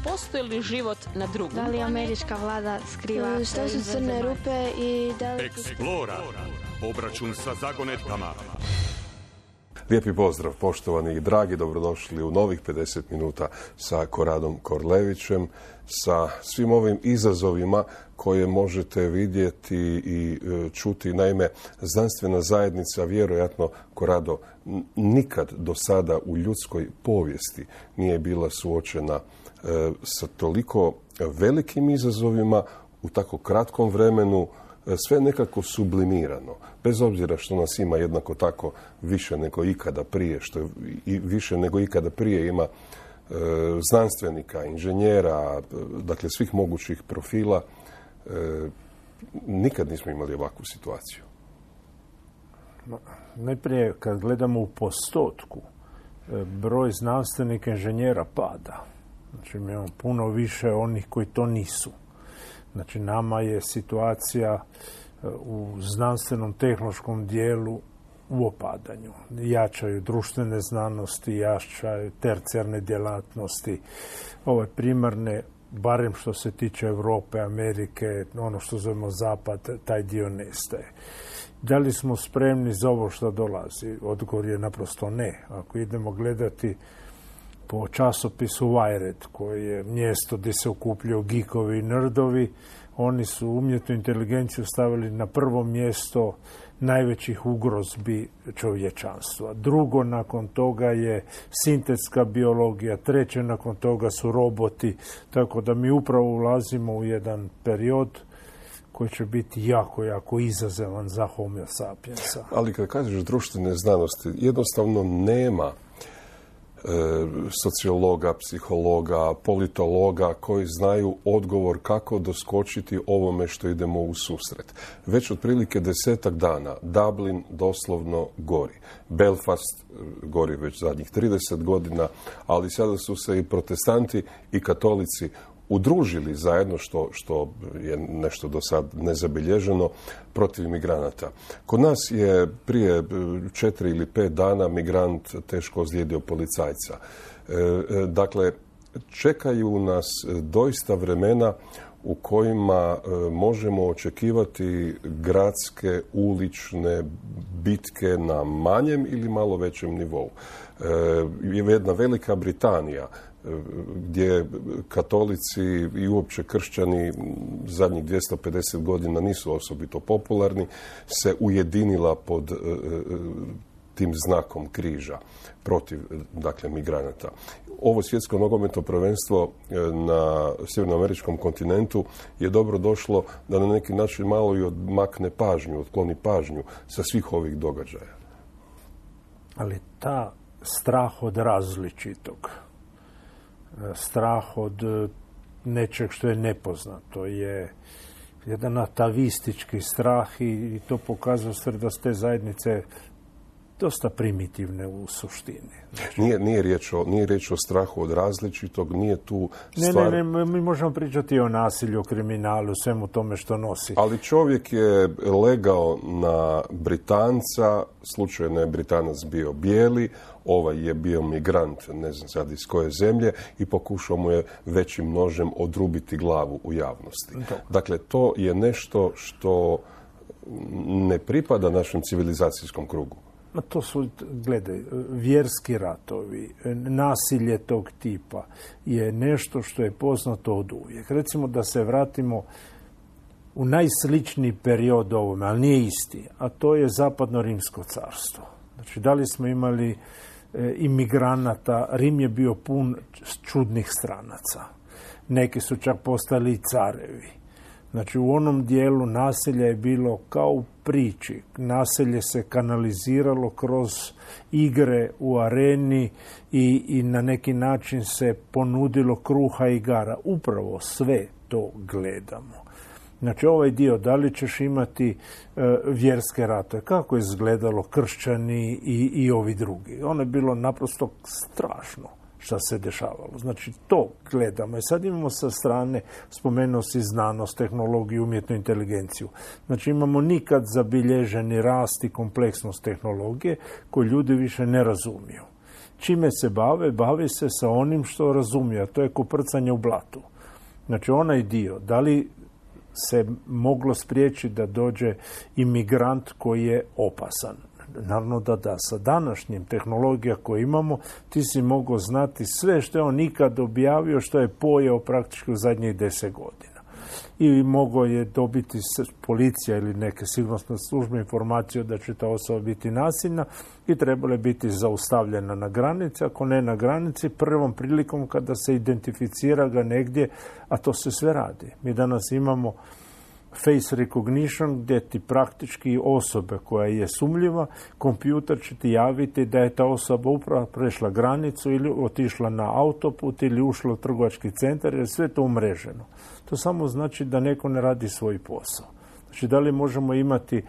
postoji li život na drugom? Da li američka vlada skriva? Šta su crne rupe i da li... Eksplora. Obračun sa zagonetkama. Lijepi pozdrav, poštovani i dragi, dobrodošli u novih 50 minuta sa Koradom Korlevićem, sa svim ovim izazovima koje možete vidjeti i čuti. Naime, znanstvena zajednica, vjerojatno, Korado, nikad do sada u ljudskoj povijesti nije bila suočena sa toliko velikim izazovima u tako kratkom vremenu, sve nekako sublimirano, bez obzira što nas ima jednako tako više nego ikada prije, što i više nego ikada prije ima znanstvenika, inženjera, dakle svih mogućih profila. Nikad nismo imali ovakvu situaciju. Najprije, kad gledamo u postotku, broj znanstvenika inženjera pada. Znači, imamo puno više onih koji to nisu. Znači, nama je situacija u znanstvenom tehnološkom dijelu u opadanju. Jačaju društvene znanosti, jačaju tercijarne djelatnosti. Ove primarne, barem što se tiče Europe, Amerike, ono što zovemo Zapad, taj dio nestaje. Da li smo spremni za ovo što dolazi? Odgovor je naprosto ne. Ako idemo gledati po časopisu Wired, koji je mjesto gdje se okupljaju geekovi i nerdovi, oni su umjetnu inteligenciju stavili na prvo mjesto najvećih ugrozbi čovječanstva. Drugo nakon toga je sintetska biologija, treće nakon toga su roboti, tako da mi upravo ulazimo u jedan period koji će biti jako, jako izazovan za Homo sapiensa. Ali kad kažeš društvene znanosti, jednostavno nema sociologa, psihologa, politologa koji znaju odgovor kako doskočiti ovome što idemo u susret. Već otprilike 10 dana Dublin doslovno gori. Belfast gori već zadnjih 30 godina, ali sada su se i protestanti i katolici udružili zajedno, što je nešto do sad nezabilježeno, protiv migranata. Kod nas je prije 4 ili 5 dana migrant teško ozlijedio policajca. Dakle, čekaju nas doista vremena u kojima možemo očekivati gradske, ulične bitke na manjem ili malo većem nivou. Jedna Velika Britanija, gdje katolici i uopće kršćani zadnjih 250 godina nisu osobito popularni, se ujedinila pod tim znakom križa protiv, dakle, migranata. Ovo svjetsko nogometno prvenstvo na sjevernoameričkom kontinentu je dobro došlo da na neki način malo i odmakne pažnju, otkloni pažnju sa svih ovih događaja. Ali ta strah od različitog, strah od nečeg što je nepoznato, je jedan atavistički strah i to pokazuje da su te zajednice dosta primitivne u suštini. Znači, nije riječ o strahu od različitog, nije tu stvar... Ne, mi možemo pričati o nasilju, o kriminalu, svemu tome što nosi. Ali čovjek je legao na Britanca, slučajno je Britanac bio bijeli, ovaj je bio migrant, ne znam sad iz koje zemlje, i pokušao mu je većim nožem odrubiti glavu u javnosti. Dakle, to je nešto što ne pripada našem civilizacijskom krugu. To su, gledaj, vjerski ratovi, nasilje tog tipa je nešto što je poznato od uvijek. Recimo da se vratimo u najsličniji period ovome, ali nije isti, a to je Zapadno Rimsko carstvo. Znači, da li smo imali imigranata, Rim je bio pun čudnih stranaca. Neki su čak postali i carevi. Znači, u onom dijelu naselja je bilo kao u priči. Naselje se kanaliziralo kroz igre u areni i na neki način se ponudilo kruha i igara. Upravo sve to gledamo. Znači, ovaj dio, da li ćeš imati vjerske ratove, kako je izgledalo kršćani i ovi drugi. Ono je bilo naprosto strašno šta se dešavalo. Znači, to gledamo. I sad imamo sa strane, spomenuo si znanost, tehnologiju, umjetnu inteligenciju. Znači, imamo nikad zabilježeni rast i kompleksnost tehnologije koju ljudi više ne razumiju. čime se bave? Bavi se sa onim što razumije, a to je koprcanje u blatu. Znači, onaj dio, da li se moglo spriječiti da dođe imigrant koji je opasan? Naravno da. Sa današnjim tehnologija koju imamo, ti si mogao znati sve što je on ikad objavio, što je pojeo praktički u zadnjih 10 godina. I mogao je dobiti policija ili neke sigurnosne službe informaciju da će ta osoba biti nasilna i trebala biti zaustavljena na granici. Ako ne na granici, prvom prilikom kada se identificira ga negdje, a to se sve radi. Mi danas imamo face recognition gdje ti praktički osobe koja je sumnjiva, kompjuter će ti javiti da je ta osoba upravo prešla granicu ili otišla na autoput ili ušla u trgovački centar, jer sve to umreženo. To samo znači da neko ne radi svoj posao. Znači, da li možemo imati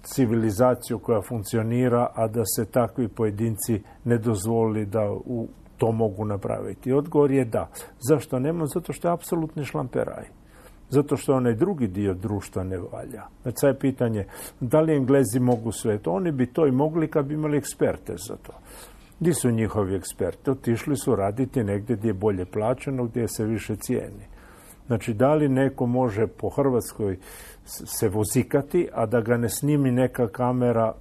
civilizaciju koja funkcionira, a da se takvi pojedinci ne dozvoli da to mogu napraviti? Odgovor je da. Zašto nema? Zato što je apsolutni šlamperaj. Zato što onaj drugi dio društva ne valja. Znači, sad je pitanje, da li Englezi mogu sve to? Oni bi to i mogli kad bi imali eksperte za to. Gdje su njihovi eksperti? Otišli su raditi negdje gdje je bolje plaćeno, gdje se više cijeni. Znači, da li neko može po Hrvatskoj se vozikati, a da ga ne snimi neka kamera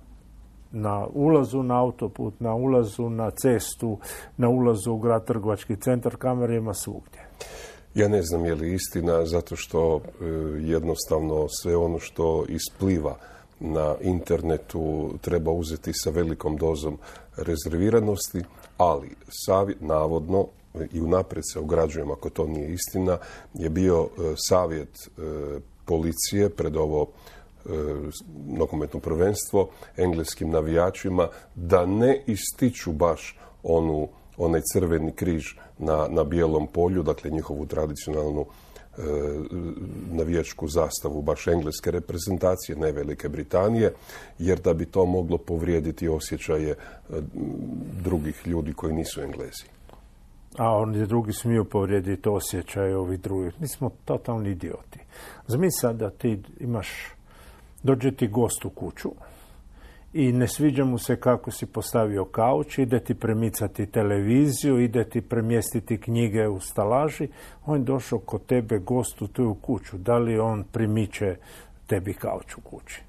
na ulazu na autoput, na ulazu na cestu, na ulazu u grad, trgovački centar, kamera ima svugdje. Ja ne znam je li istina, zato što jednostavno sve ono što ispliva na internetu treba uzeti sa velikom dozom rezerviranosti, ali navodno, i unaprijed se ograđujem ako to nije istina, je bio savjet policije pred ovo nogometno prvenstvo engleskim navijačima da ne ističu baš onaj crveni križ na bijelom polju, dakle njihovu tradicionalnu navijačku zastavu baš engleske reprezentacije, ne Velike Britanije, jer da bi to moglo povrijediti osjećaje drugih ljudi koji nisu Englezi. A oni drugi smiju povrijediti osjećaje ovih drugih. Mi smo totalni idioti. Zamisli da ti dođe ti gost u kuću i ne sviđa mu se kako si postavio kauč, ide ti premicati televiziju, ide ti premjestiti knjige u stalaži, on je došao kod tebe gost u tvoju kuću. Da li on primiče tebi kauč u kući?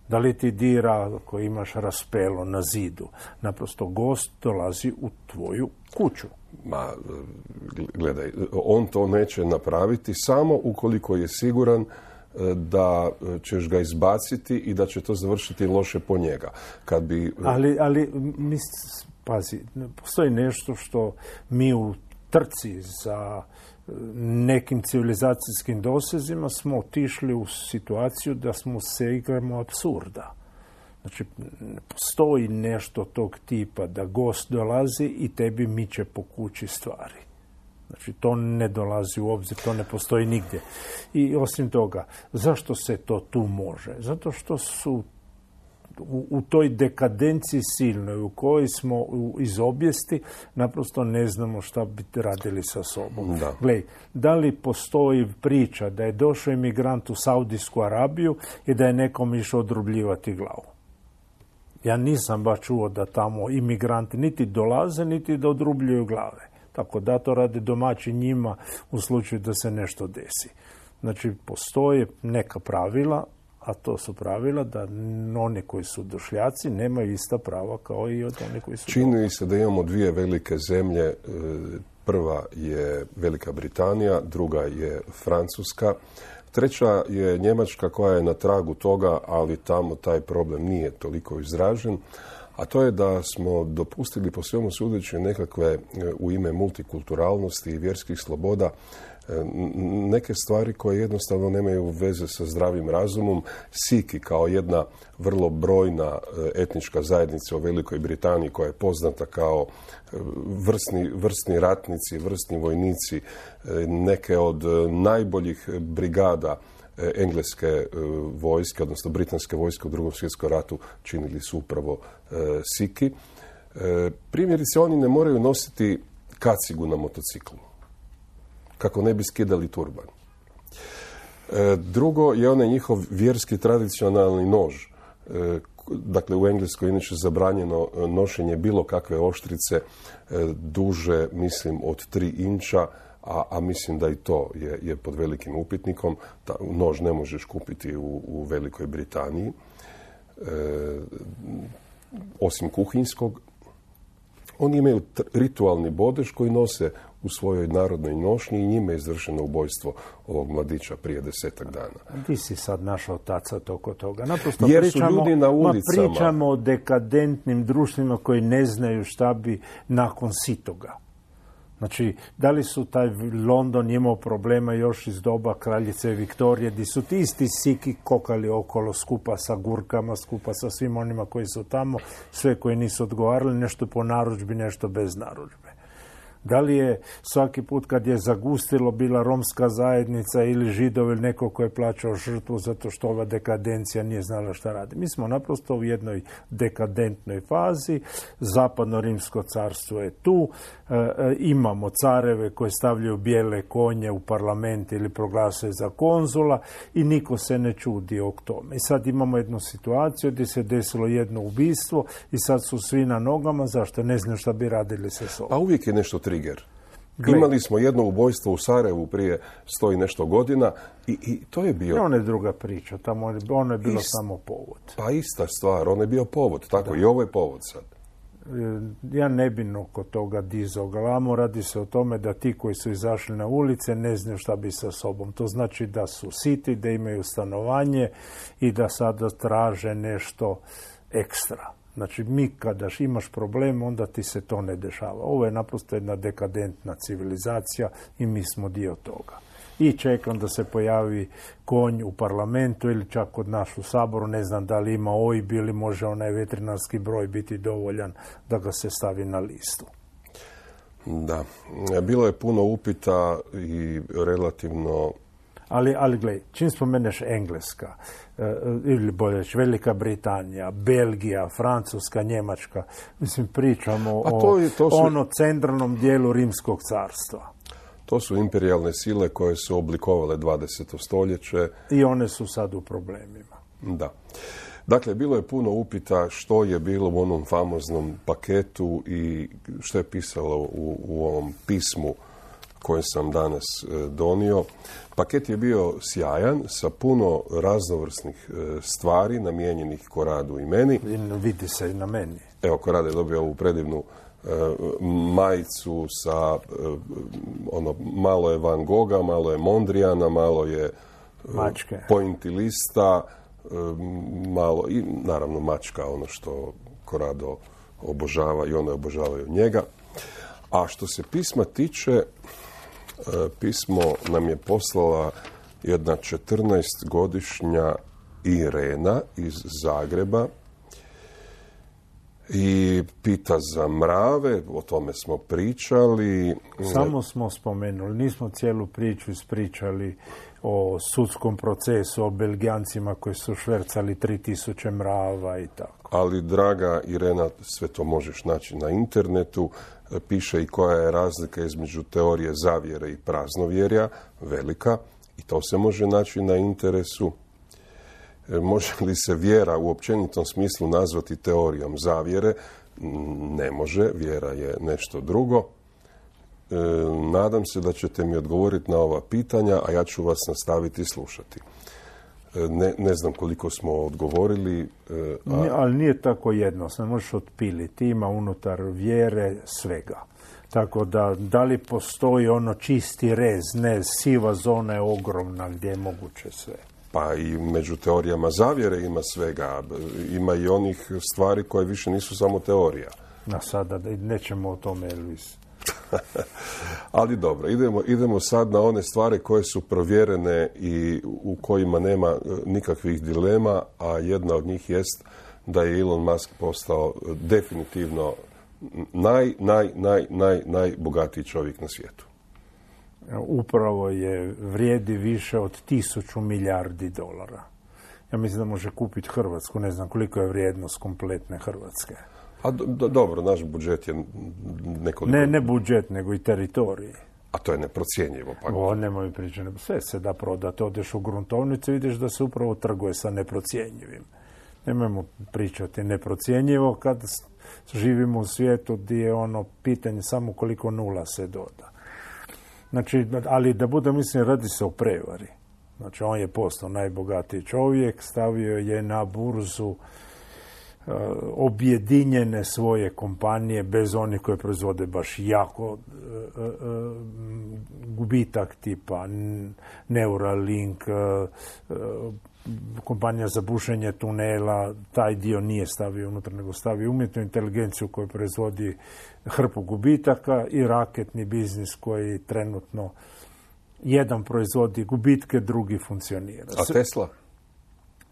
Da li ti dira ako imaš raspelo na zidu? Naprosto gost dolazi u tvoju kuću. Ma, gledaj, on to neće napraviti samo ukoliko je siguran da ćeš ga izbaciti i da će to završiti loše po njega. Ali pazi, postoji nešto što mi u trci za nekim civilizacijskim dosezima smo otišli u situaciju da smo se igramo apsurda. Znači, postoji nešto tog tipa da gost dolazi i tebi miče po kući stvari. Znači, to ne dolazi u obzir, to ne postoji nigdje. I osim toga, zašto se to tu može? Zato što su u toj dekadenciji silnoj u kojoj smo iz obijesti naprosto ne znamo šta bi radili sa sobom. Glej, da li postoji priča da je došao imigrant u Saudijsku Arabiju i da je nekom išao odrubljivati glavu? Ja nisam baš čuo da tamo imigranti niti dolaze, niti da odrubljuju glave. Tako da to rade domaći njima u slučaju da se nešto desi. Znači, postoje neka pravila, a to su pravila da oni koji su došljaci nemaju ista prava kao i od oni koji su... Čini se da imamo dvije velike zemlje. Prva je Velika Britanija, druga je Francuska. Treća je Njemačka koja je na tragu toga, ali tamo taj problem nije toliko izražen. A to je da smo dopustili po svemu sudeći nekakve u ime multikulturalnosti i vjerskih sloboda neke stvari koje jednostavno nemaju veze sa zdravim razumom. Siki kao jedna vrlo brojna etnička zajednica u Velikoj Britaniji koja je poznata kao vrsni ratnici, vrsni vojnici, neke od najboljih brigada engleske vojske, odnosno britanske vojske u Drugom svjetskom ratu činili su upravo Siki. Primjerice, oni ne moraju nositi kacigu na motociklu, kako ne bi skidali turban. Drugo je onaj njihov vjerski tradicionalni nož, dakle u Engleskoj inače zabranjeno nošenje bilo kakve oštrice duže, mislim, od 3 inča, a mislim da i to je pod velikim upitnikom. Nož ne možeš kupiti u Velikoj Britaniji, osim kuhinjskog. Oni imaju ritualni bodež koji nose u svojoj narodnoj nošnji i njime je izvršeno ubojstvo ovog mladića prije 10-ak dana. Ti si sad našao tacat oko toga. Naprosto jer su ljudi na ulicama. Pričamo o dekadentnim društvima koji ne znaju šta bi nakon sitoga. Znači, da li su taj London imao problema još iz doba kraljice Viktorije, gdje su ti isti siki kokali okolo skupa sa gurkama, skupa sa svim onima koji su tamo, sve koji nisu odgovarali, nešto po narudžbi, nešto bez narudžbe. Da li je svaki put kad je zagustilo bila romska zajednica ili Židovi ili neko ko je plaćao žrtvu zato što ova dekadencija nije znala šta radi. Mi smo naprosto u jednoj dekadentnoj fazi, zapadno rimsko carstvo je tu, imamo careve koje stavljaju bijele konje u parlament ili proglasuju za konzula i niko se ne čudi o tome. I sad imamo jednu situaciju gdje se desilo jedno ubistvo i sad su svi na nogama, zašto? Ne znaju šta bi radili sa sobom. A uvijek je nešto trigger. Imali smo jedno ubojstvo u Sarajevu prije 100 i nešto godina i to je bio... Ono je druga priča, tamo ono je bilo samo povod. Pa ista stvar, ono je bio povod, tako i ovo je povod sad. Ja ne bi oko toga dizao glavu, radi se o tome da ti koji su izašli na ulice ne znaju šta bi sa sobom. To znači da su siti, da imaju stanovanje i da sada traže nešto ekstra. Znači, mi kada imaš problem, onda ti se to ne dešava. Ovo je naprosto jedna dekadentna civilizacija i mi smo dio toga. I čekam da se pojavi konj u parlamentu ili čak kod nas u Saboru, ne znam da li ima OIB ili može onaj veterinarski broj biti dovoljan da ga se stavi na listu. Da, bilo je puno upita i relativno... Ali gledaj, čim spomeneš Engleska, ili bolje reći Velika Britanija, Belgija, Francuska, Njemačka, mislim pričamo o centralnom dijelu Rimskog carstva. To su imperijalne sile koje su oblikovale 20. stoljeće. I one su sad u problemima. Da. Dakle, bilo je puno upita što je bilo u onom famoznom paketu i što je pisalo u ovom pismu koje sam danas donio. Paket je bio sjajan, sa puno raznovrsnih stvari namijenjenih Koradu i meni. Vidi se i na meni. Evo, Korad je dobio ovu predivnu majicu sa malo je Van Gogha, malo je Mondrijana, malo je mačke, pointilista, malo i naravno mačka, ono što Korado obožava i one obožavaju njega. A što se pisma tiče, pismo nam je poslala jedna 14-godišnja Irena iz Zagreba i pita za mrave, o tome smo pričali. Samo smo spomenuli, nismo cijelu priču ispričali o sudskom procesu, o Belgijancima koji su švercali 3000 mrava i tako. Ali, draga Irena, sve to možeš naći na internetu. Piše i koja je razlika između teorije zavjere i praznovjerja, velika, i to se može naći na interesu. Može li se vjera u općenitom smislu nazvati teorijom zavjere? Ne može, vjera je nešto drugo. Nadam se da ćete mi odgovoriti na ova pitanja, a ja ću vas nastaviti slušati. Ne znam koliko smo odgovorili. Ali nije tako jednostavno, možeš otpiliti. Ima unutar vjere svega. Tako da li postoji ono čisti rez, ne, siva zona je ogromna gdje je moguće sve. Pa i među teorijama zavjere ima svega. Ima i onih stvari koje više nisu samo teorija. Na sada nećemo o tome, Elvis. Ali dobro, idemo sad na one stvari koje su provjerene i u kojima nema nikakvih dilema, a jedna od njih jest da je Elon Musk postao definitivno najbogatiji čovjek na svijetu. Upravo vrijedi više od 1000 milijardi dolara. Ja mislim da može kupiti Hrvatsku, ne znam koliko je vrijednost kompletne Hrvatske. A dobro, naš budžet je nekoliko... Ne budžet, nego i teritorij. A to je neprocjenjivo. Pa... Nemoj pričati, sve se da prodati. Odeš u gruntovnicu i vidiš da se upravo trguje sa neprocjenjivim. Nemojmo pričati neprocjenjivo kad živimo u svijetu gdje je ono pitanje samo koliko nula se doda. Znači, ali da bude, mislim, radi se o prevari. Znači, on je postao najbogatiji čovjek, stavio je na burzu objedinjene svoje kompanije bez onih koje proizvode baš jako gubitak tipa Neuralink, kompanija za bušenje tunela, taj dio nije stavio unutra, nego stavio umjetnu inteligenciju koja proizvodi hrpu gubitaka i raketni biznis koji trenutno jedan proizvodi gubitke, drugi funkcionira. A Tesla?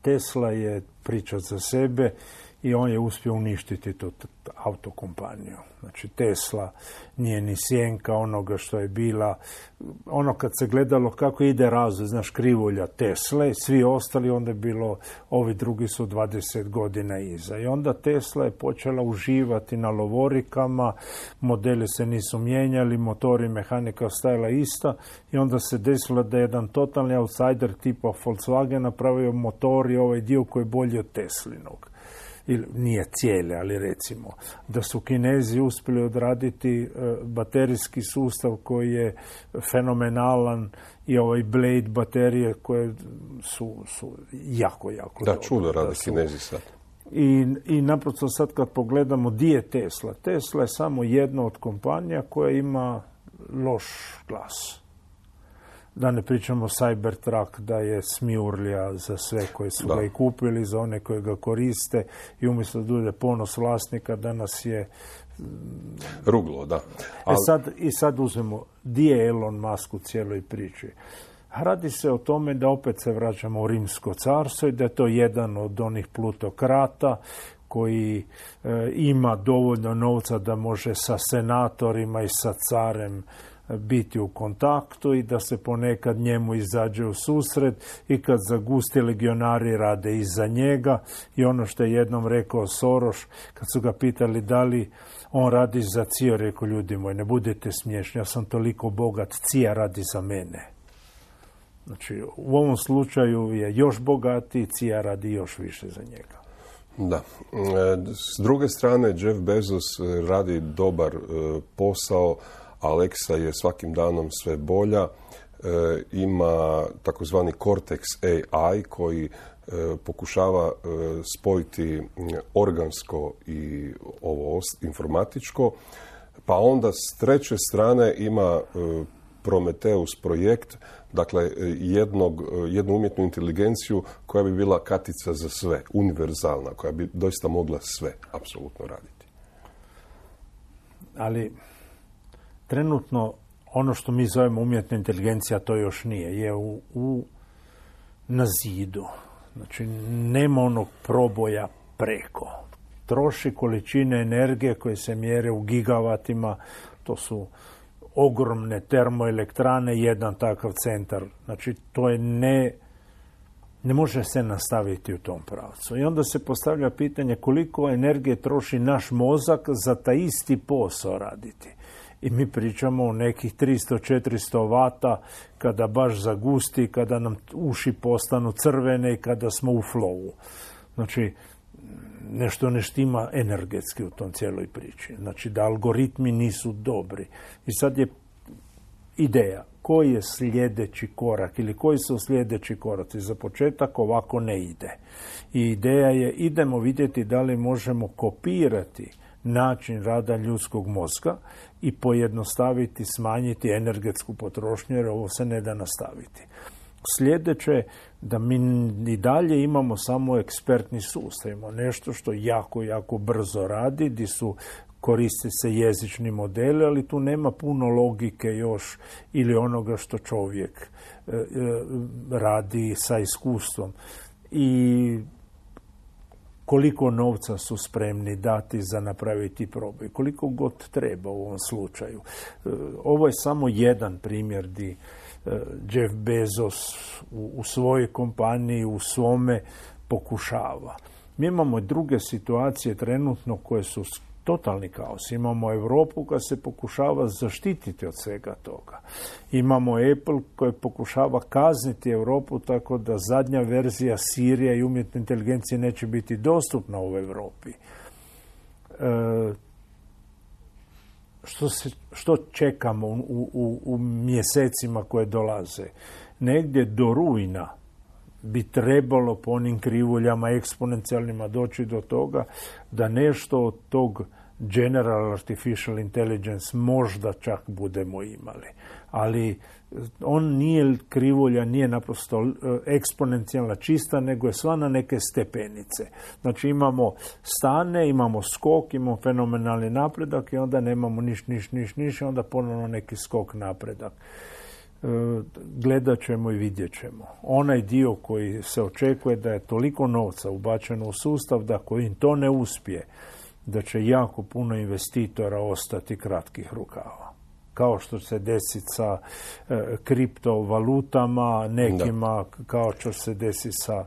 Tesla je priča za sebe i on je uspio uništiti tu autokompaniju. Znači, Tesla nije ni sjenka onoga što je bila. Ono kad se gledalo kako ide razvoj, znaš, krivulja Tesle, svi ostali, onda je bilo, ovi drugi su 20 godina iza. I onda Tesla je počela uživati na lovorikama, modeli se nisu mijenjali, motori, mehanika stajala ista i onda se desilo da je jedan totalni outsider tipa Volkswagen napravio motor i ovaj dio koji je bolji od Teslinog. Ili nije cijele, ali recimo da su Kinezi uspjeli odraditi baterijski sustav koji je fenomenalan i ovaj Blade baterije koje su jako da, dobro. Čudo rade Kinezi sad. I naprosto sad kad pogledamo di je Tesla. Tesla je samo jedna od kompanija koja ima loš glas. Da ne pričamo Cybertruck, da je smijurlja za sve koji su ga i kupili, za one koji ga koriste i umjesto da bude ponos vlasnika, danas je ruglo, da. Sad uzmemo, di je Elon Musk u cijeloj priči? Radi se o tome da opet se vraćamo u Rimsko carstvo i da je to jedan od onih plutokrata koji ima dovoljno novca da može sa senatorima i sa carem biti u kontaktu i da se ponekad njemu izađe u susret i kad zagusti legionari rade iza njega i ono što je jednom rekao Soros kad su ga pitali da li on radi za CIA, rekao ljudi moji, ne budete smiješni, ja sam toliko bogat, CIA radi za mene. Znači, u ovom slučaju je još bogatiji, CIA radi još više za njega. Da. S druge strane, Jeff Bezos radi dobar posao, Alexa je svakim danom sve bolja, ima takozvani Cortex AI koji pokušava spojiti organsko i ovo informatičko, pa onda s treće strane ima Prometheus projekt, dakle jednu umjetnu inteligenciju koja bi bila katica za sve, univerzalna, koja bi doista mogla sve apsolutno raditi. Ali trenutno ono što mi zovemo umjetna inteligencija, to još nije, je na zidu. Znači, nema onog proboja preko. Troši količine energije koje se mjere u gigavatima, to su ogromne termoelektrane, jedan takav centar. Znači, to je ne može se nastaviti u tom pravcu. I onda se postavlja pitanje koliko energije troši naš mozak za taj isti posao raditi. I mi pričamo o nekih 300-400 vata kada baš zagusti, kada nam uši postanu crvene i kada smo u flowu. Znači, nešto ne štima energetski u tom cijeloj priči. Znači, da algoritmi nisu dobri. I sad je ideja, koji je sljedeći korak ili koji su sljedeći koraci. Za početak ovako ne ide. I ideja je, idemo vidjeti da li možemo kopirati način rada ljudskog mozga i pojednostaviti, smanjiti energetsku potrošnju, jer ovo se ne da nastaviti. Sljedeće, da mi i dalje imamo samo ekspertni sustav, imamo nešto što jako, jako brzo radi, gdje koriste se jezični modeli, ali tu nema puno logike još ili onoga što čovjek radi sa iskustvom. I koliko novca su spremni dati za napraviti proboj, koliko god treba u ovom slučaju. Ovo je samo jedan primjer gdje Jeff Bezos u svojoj kompaniji, u svome pokušava. Mi imamo druge situacije trenutno koje su totalni kaos. Imamo Europu koja se pokušava zaštititi od svega toga. Imamo Apple koji pokušava kazniti Europu tako da zadnja verzija Sirija i umjetne inteligencije neće biti dostupna u Europi. Što čekamo u mjesecima koje dolaze? Negdje do rujna bi trebalo po onim krivuljama eksponencijalnima doći do toga da nešto od tog General Artificial Intelligence možda čak budemo imali. Ali on nije krivulja, nije naprosto eksponencijalna čista, nego je sva na neke stepenice. Znači imamo stane, imamo skok, imamo fenomenalni napredak i onda nemamo niš, onda ponovno neki skok napredak. Gledat ćemo i vidjet ćemo. Onaj dio koji se očekuje da je toliko novca ubačeno u sustav da ako im to ne uspije, da će jako puno investitora ostati kratkih rukava. Kao što se desi sa kriptovalutama, nekima kao što se desi sa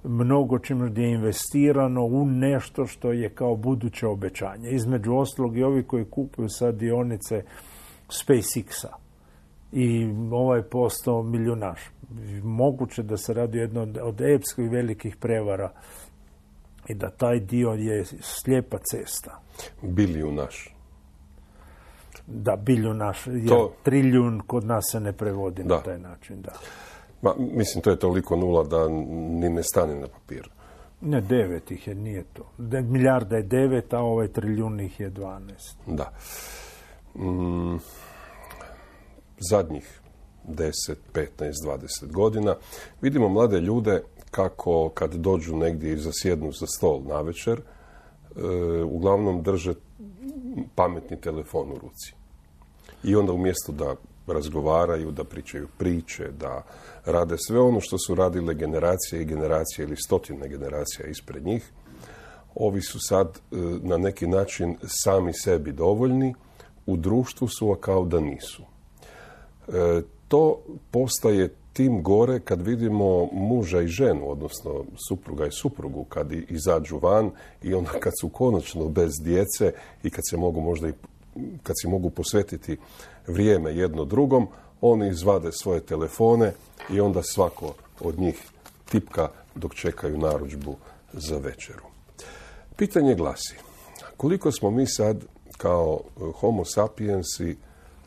mnogo čim gdje je investirano u nešto što je kao buduće obećanje. Između ostalog i ovi koji kupuju sad dionice SpaceX-a i ovaj postao milijunaš. Moguće da se radi jedno od epskih velikih prevara i da taj dio je slijepa cesta. Bilijunaš. Da, bilijunaš. To... Trilijun kod nas se ne prevodi na taj način. Da. Mislim, to je toliko nula da ni ne stane na papiru. Ne, 9 ih je, nije to. Milijarda je 9, a ovaj trilijun ih je 12. Da. Zadnjih 10, 15, 20 godina vidimo mlade ljude kako kad dođu negdje i zasjednu za stol navečer, uglavnom drže pametni telefon u ruci. I onda umjesto da razgovaraju, da pričaju priče, da rade sve ono što su radile generacije i generacije ili stotine generacija ispred njih, ovi su sad na neki način sami sebi dovoljni, u društvu su, a kao da nisu. To postaje tim gore kad vidimo muža i ženu, odnosno supruga i suprugu, kad izađu van i onda kad su konačno bez djece i kad se mogu možda i kad si mogu posvetiti vrijeme jedno drugom, oni izvade svoje telefone i onda svako od njih tipka dok čekaju narudžbu za večeru. Pitanje glasi, koliko smo mi sad kao homo sapiensi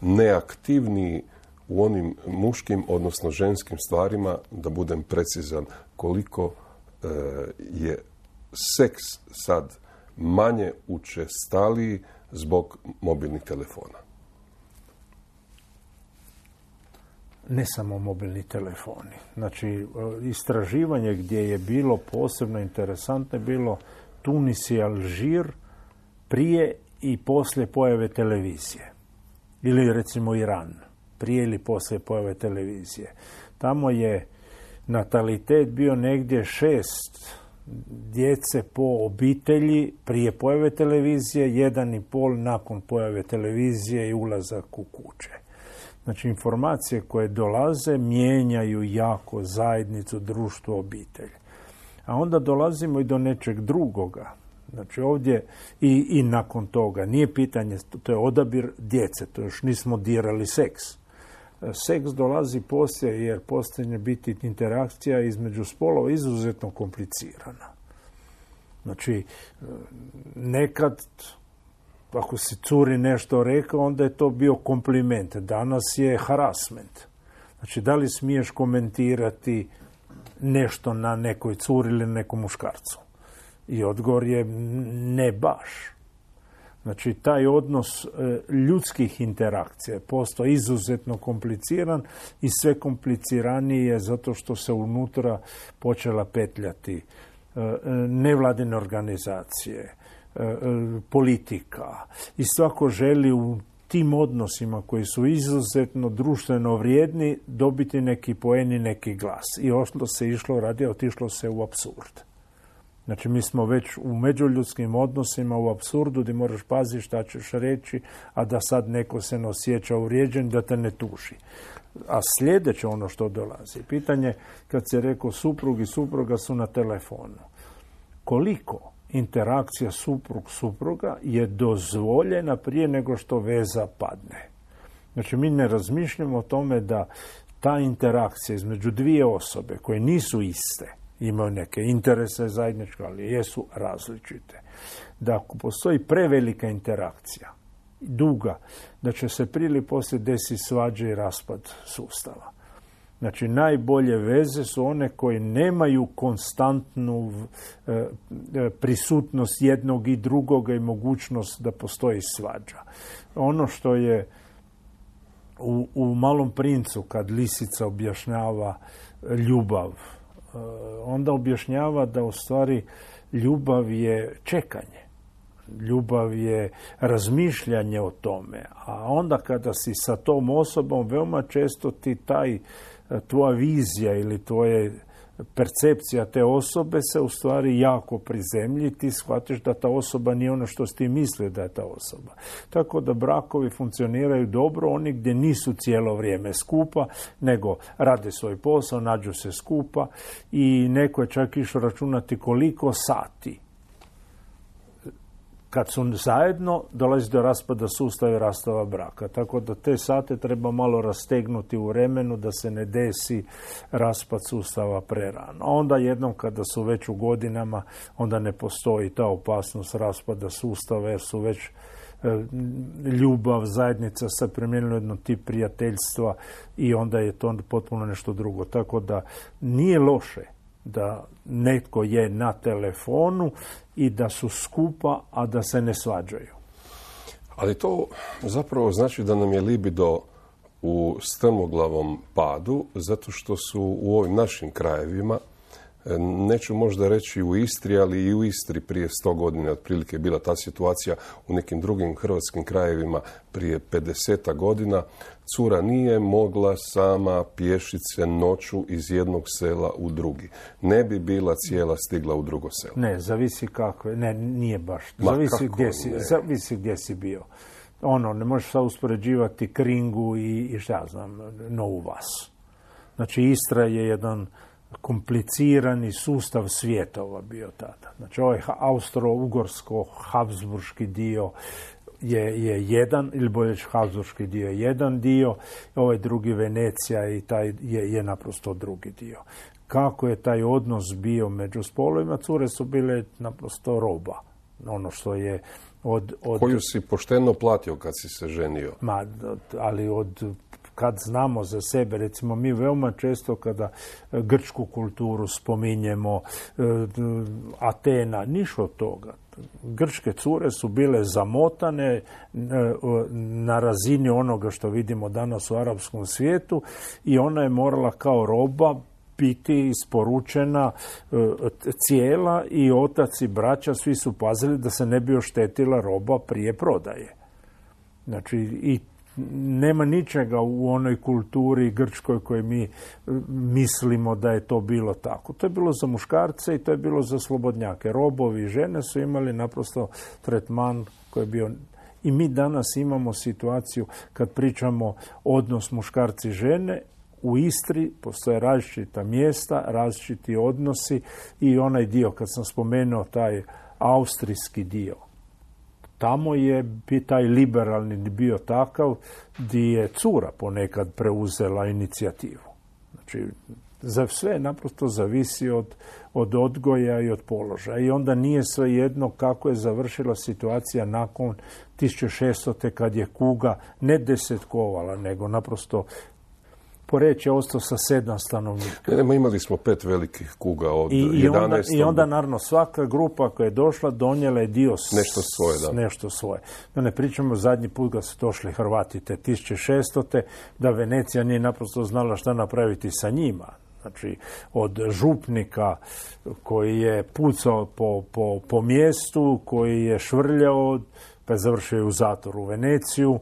neaktivniji u onim muškim, odnosno ženskim stvarima, da budem precizan, koliko je seks sad manje učestaliji zbog mobilnih telefona? Ne samo mobilni telefoni. Znači, istraživanje gdje je bilo posebno interesantno je bilo Tunis i Alžir prije i poslije pojave televizije. Ili recimo Iran, prije ili poslije pojave televizije. Tamo je natalitet bio negdje 6 djece po obitelji prije pojave televizije, 1,5 nakon pojave televizije i ulazak u kuće. Znači, informacije koje dolaze mijenjaju jako zajednicu, društvo, obitelj. A onda dolazimo i do nečeg drugoga. Znači, ovdje i nakon toga nije pitanje, to je odabir djece, to još nismo dirali seks. Seks dolazi poslije jer poslije biti interakcija između spolova izuzetno komplicirana. Znači, nekad ako si curi nešto rekao, onda je to bio kompliment. Danas je harassment. Znači, da li smiješ komentirati nešto na nekoj curi ili nekom muškarcu? I odgovor je ne baš. Znači, taj odnos ljudskih interakcija je postao izuzetno kompliciran i sve kompliciraniji je zato što se unutra počela petljati nevladine organizacije, politika. I svako želi u tim odnosima koji su izuzetno društveno vrijedni dobiti neki poen i neki glas. I otišlo se u apsurd. Znači, mi smo već u međuljudskim odnosima u apsurdu gdje moraš paziti šta ćeš reći, a da sad neko se ne osjeća uvrijeđen, da te ne tuži. A sljedeće ono što dolazi. Pitanje, kad se rekao suprug i supruga su na telefonu. Koliko interakcija supruga je dozvoljena prije nego što veza padne. Znači, mi ne razmišljamo o tome da ta interakcija između dvije osobe koje nisu iste, imaju neke interese zajedničke, ali jesu različite. Da ako postoji prevelika interakcija, duga, da će se prije ili poslije desiti svađa i raspad sustava. Znači, najbolje veze su one koje nemaju konstantnu prisutnost jednog i drugoga i mogućnost da postoji svađa. Ono što je u Malom princu, kad lisica objašnjava ljubav, onda objašnjava da u stvari ljubav je čekanje. Ljubav je razmišljanje o tome. A onda kada si sa tom osobom, veoma često ti tvoja vizija ili tvoje percepcija te osobe se u stvari jako prizemlji, ti shvatiš da ta osoba nije ono što si ti mislio da je ta osoba. Tako da brakovi funkcioniraju dobro, oni gdje nisu cijelo vrijeme skupa, nego rade svoj posao, nađu se skupa i neko je čak išao računati koliko sati kad su zajedno, dolazi do raspada sustava i rastava braka. Tako da te sate treba malo rastegnuti u vremenu da se ne desi raspad sustava prerano. A onda jednom kada su već u godinama, onda ne postoji ta opasnost raspada sustava jer su već ljubav, zajednica se promijenila jedno tip prijateljstva i onda je to potpuno nešto drugo. Tako da nije loše da netko je na telefonu i da su skupa, a da se ne svađaju. Ali to zapravo znači da nam je libido u strmoglavom padu, zato što su u ovim našim krajevima, neću možda reći u Istri, ali i u Istri prije 100 godina otprilike je bila ta situacija, u nekim drugim hrvatskim krajevima prije 50 godina, cura nije mogla sama pješit se noću iz jednog sela u drugi. Ne bi bila cijela stigla u drugo selo. Ne, zavisi kako je. Ne, nije baš. Zavisi gdje si bio. Ne možeš sad uspoređivati Kringu i šta ja znam, Novu Vas. Znači, Istra je jedan komplicirani sustav svjetova bio tada. Znači, ovaj austro-ugorsko-habsburški dio je jedan, ili bolje habsburški dio je jedan dio, ovaj drugi Venecija i taj je naprosto drugi dio. Kako je taj odnos bio među spolovima? Cure su bile naprosto roba. Ono što je koju si pošteno platio kad si se ženio. Ali kad znamo za sebe, recimo mi veoma često kada grčku kulturu spominjemo, Atena, ništa od toga. Grčke cure su bile zamotane na razini onoga što vidimo danas u arapskom svijetu i ona je morala kao roba biti isporučena cijela i otac i braća svi su pazili da se ne bi oštetila roba prije prodaje. Znači, i nema ničega u onoj kulturi grčkoj koje mi mislimo da je to bilo tako. To je bilo za muškarce i to je bilo za slobodnjake. Robovi i žene su imali naprosto tretman koji je bio. I mi danas imamo situaciju kad pričamo odnos muškarci i žene, u Istri postoje različita mjesta, različiti odnosi i onaj dio, kad sam spomenuo taj austrijski dio, tamo je taj liberalni bio takav gdje je cura ponekad preuzela inicijativu. Znači, za sve naprosto zavisi od odgoja i od položaja. I onda nije svejedno kako je završila situacija nakon 1600. kad je kuga ne desetkovala, nego naprosto Poreč je ostao sa 7 stanovnika. Imali smo 5 velikih kuga od 11. I onda, naravno, svaka grupa koja je došla donijela je dio nešto svoje. Da ne pričamo, zadnji put kad su došli Hrvati te 1600. da Venecija nije naprosto znala šta napraviti sa njima. Znači, od župnika koji je pucao po mjestu, koji je švrljao, pa je završio u zatvoru u Veneciju,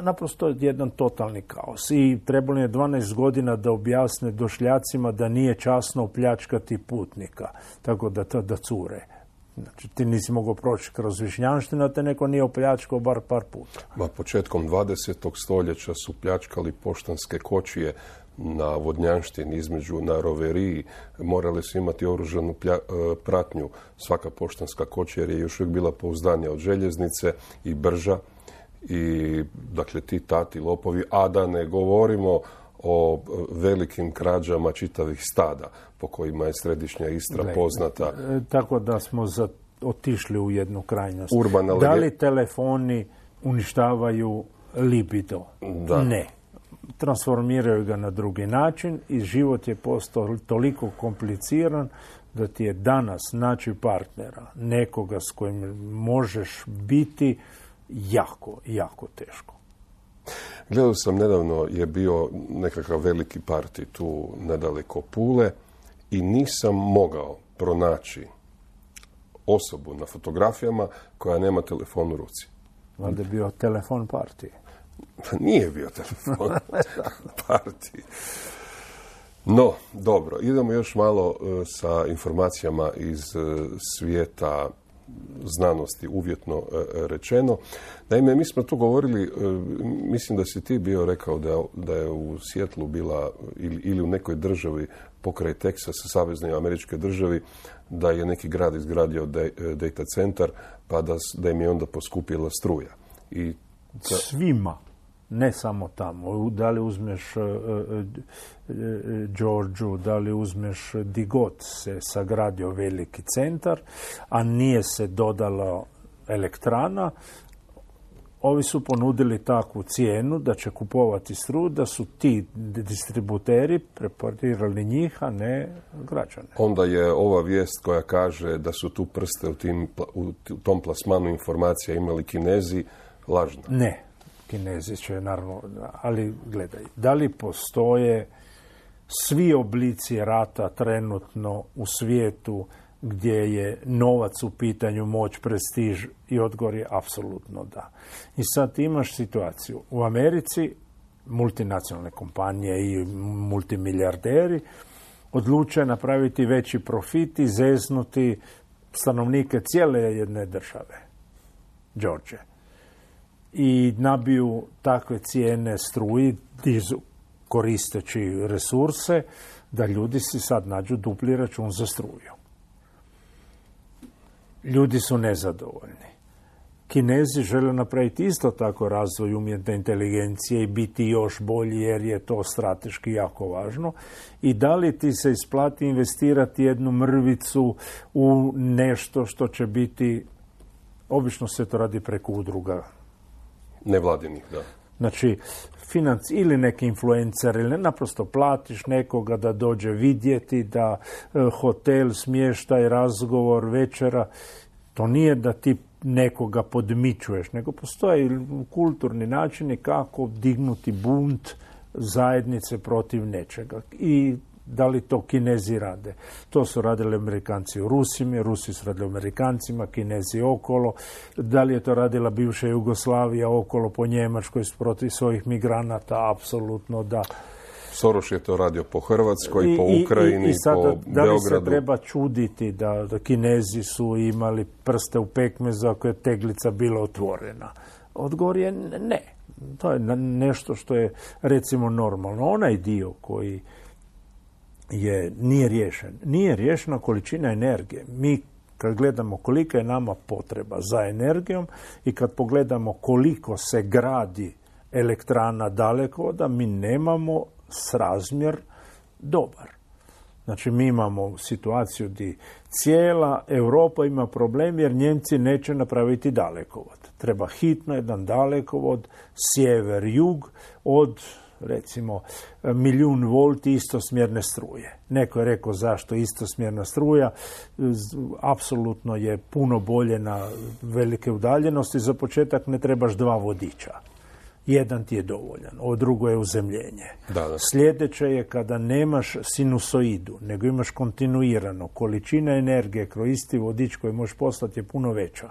naprosto jedan totalni kaos. I trebalo je 12 godina da objasne došljacima da nije časno opljačkati putnika, tako da cure. Znači, ti nisi mogao proći kroz Višnjanštinu, a te neko nije opljačkao bar par puta. Početkom 20. stoljeća su pljačkali poštanske kočije na Vodnjanštini na Roveriji. Morali su imati oružanu pratnju svaka poštanska kočija, jer je još uvijek bila pouzdanija od željeznice i brža. I, dakle, ti tati lopovi, a da ne govorimo o velikim krađama čitavih stada po kojima je središnja Istra poznata. Tako da smo otišli u jednu krajnost. Da li telefoni uništavaju libido? Da. Ne. Transformiraju ga na drugi način i život je postao toliko kompliciran da ti je danas naći partnera, nekoga s kojim možeš biti, jako, jako teško. Gledao sam nedavno, je bio nekakav veliki parti tu nedaleko Pule i nisam mogao pronaći osobu na fotografijama koja nema telefon u ruci. Valjda je bio telefon partije. Nije bio telefon partije. No, dobro, idemo još malo sa informacijama iz svijeta znanosti, uvjetno rečeno. Naime, mi smo tu govorili, mislim da si ti bio rekao da je u Sijetlu bila ili u nekoj državi pokraj Teksasa, saveznoj američkoj državi, da je neki grad izgradio data centar, pa da im je onda poskupila struja. Svima, ne samo tamo. Da li uzmeš Georgiju, da li uzmeš di god se sagradio veliki centar, a nije se dodala elektrana, ovi su ponudili takvu cijenu da će kupovati struju, da su ti distributeri preparirali njih, a ne građane. Onda je ova vijest koja kaže da su tu prste u tom plasmanu informacija imali Kinezi lažna. Ne, Kinezi će naravno, ali gledaj, da li postoje svi oblici rata trenutno u svijetu gdje je novac u pitanju, moć, prestiž, i odgovor je apsolutno da. I sad imaš situaciju. U Americi multinacionalne kompanije i multimilijarderi odluče napraviti veći profit i zeznuti stanovnike cijele jedne države, Georgije. I nabiju takve cijene struji, koristeći resurse, da ljudi si sad nađu dupli račun za struju. Ljudi su nezadovoljni. Kinezi žele napraviti isto tako razvoj umjetne inteligencije i biti još bolji, jer je to strateški jako važno. I da li ti se isplati investirati jednu mrvicu u nešto što će biti, obično se to radi preko udruga nevladinih, da. Znači, ili neki influencer, ili naprosto platiš nekoga da dođe vidjeti, da hotel, smještaj, razgovor, večera. To nije da ti nekoga podmićuješ, nego postoje kulturni načini kako dignuti bunt zajednice protiv nečega. I da li to Kinezi rade? To su radili Amerikanci u Rusima, Rusi su radili Amerikancima, Kinezi okolo. Da li je to radila bivša Jugoslavija okolo po Njemačkoj protiv svojih migranata? Apsolutno da. Soros je to radio po Hrvatskoj, po Ukrajini, i sada, po Beogradu. Da li se treba čuditi da Kinezi su imali prste u pekmezu ako je teglica bila otvorena? Odgovor je ne. To je nešto što je, recimo, normalno. Onaj dio koji nije riješen. Nije riješena količina energije. Mi kad gledamo kolika je nama potreba za energijom i kad pogledamo koliko se gradi elektrana dalekovoda, mi nemamo srazmjer dobar. Znači, mi imamo situaciju gdje cijela Europa ima problem jer Njemci neće napraviti dalekovod. Treba hitno jedan dalekovod sjever-jug od, recimo, 1.000.000 volti istosmjerne struje. Neko je rekao zašto istosmjerna struja. Apsolutno je puno bolje na velike udaljenosti. Za početak ne trebaš 2 vodiča. Jedan ti je dovoljan, ovo drugo je uzemljenje. Da. Sljedeće je kada nemaš sinusoidu, nego imaš kontinuirano. Količina energije kroz isti vodič koji možeš poslati je puno veća.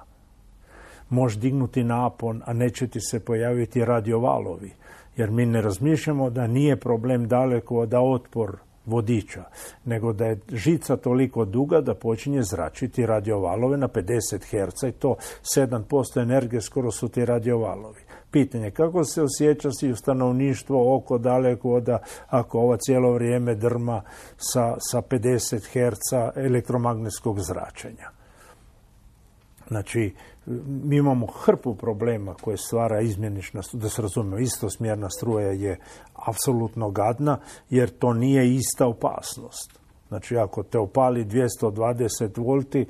Možeš dignuti napon, a neće ti se pojaviti radiovalovi. Jer mi ne razmišljamo da nije problem daleko da otpor vodiča, nego da je žica toliko duga da počinje zračiti radiovalove na 50 Hz i to 7% energije skoro su ti radiovalovi. Pitanje kako se osjeća si u stanovništvo oko dalekovoda ako ova cijelo vrijeme drma sa 50 Hz elektromagnetskog zračenja. Znači, mi imamo hrpu problema koje stvara izmjenična, da se razumijemo, istosmjerna struja je apsolutno gadna, jer to nije ista opasnost. Znači, ako te opali 220 volti